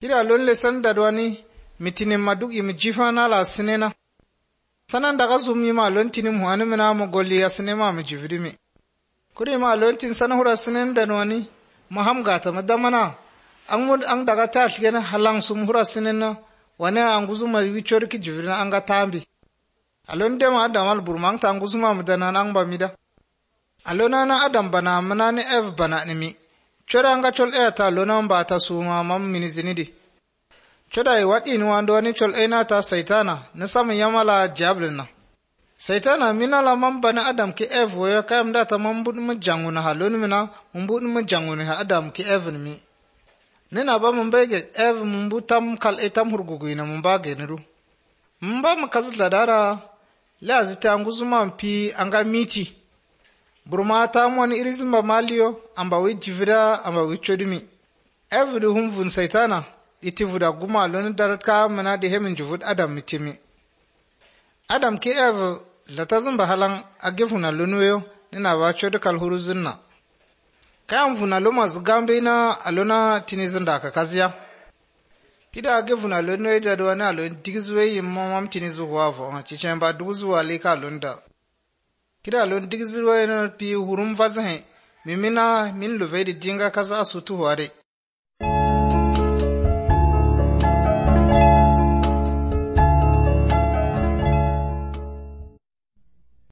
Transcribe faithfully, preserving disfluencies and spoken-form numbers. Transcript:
Kida lon lesan dadwani mitinin maduk imi jifana la sinena. Sanan daga zumi ma lon tinim huani mina mo golli ya sinema mi jivrimi. Kuri ma lon tin sana hura sinen dadwani maham gata madamana. Ang mud ang daga tash gena halang sum hura sinena wane anguzuma wichor ki jivrina anga tambi. Alon dema adamal burmang ta anguzuma mudana ang bamida. Alona na adam bana manani ev bana nimi. Choda anga chol e ta lona mba ta suma mam minizinidi. Choda e wat inu andwani chol e na ta saitana nasam yamala jablina. Saitana mina la mam bana adam ki ev woya kayam data mambud mjanguna halon mina mbud mjanguna ha adam ki ev nimi. Nina ba mbege ev mbu tam kal etam hurgugu ina mbage niru. Mba makazla dara la zita anguzuma mpi anga miti. Burma ta mwani irizimba malio amba wi jivira amba wi chodumi. Every humvun saitana iti vuda guma loni daratka mana de hemin juvud adam mitimi. Adam ki ev latazumba halang agifuna lunweyo nina wa chodu kalhuruzunna. Kaya mvuna loma zigambe ina alona tinizunda kakazia. Kida agifuna lunweyo jadwana alon digizwe yimamam tinizu wavo chichemba duzu walika lunda. Kida lon digizwe na pi hurum vazahe mimina min luvedi dinga kaza asutu ware.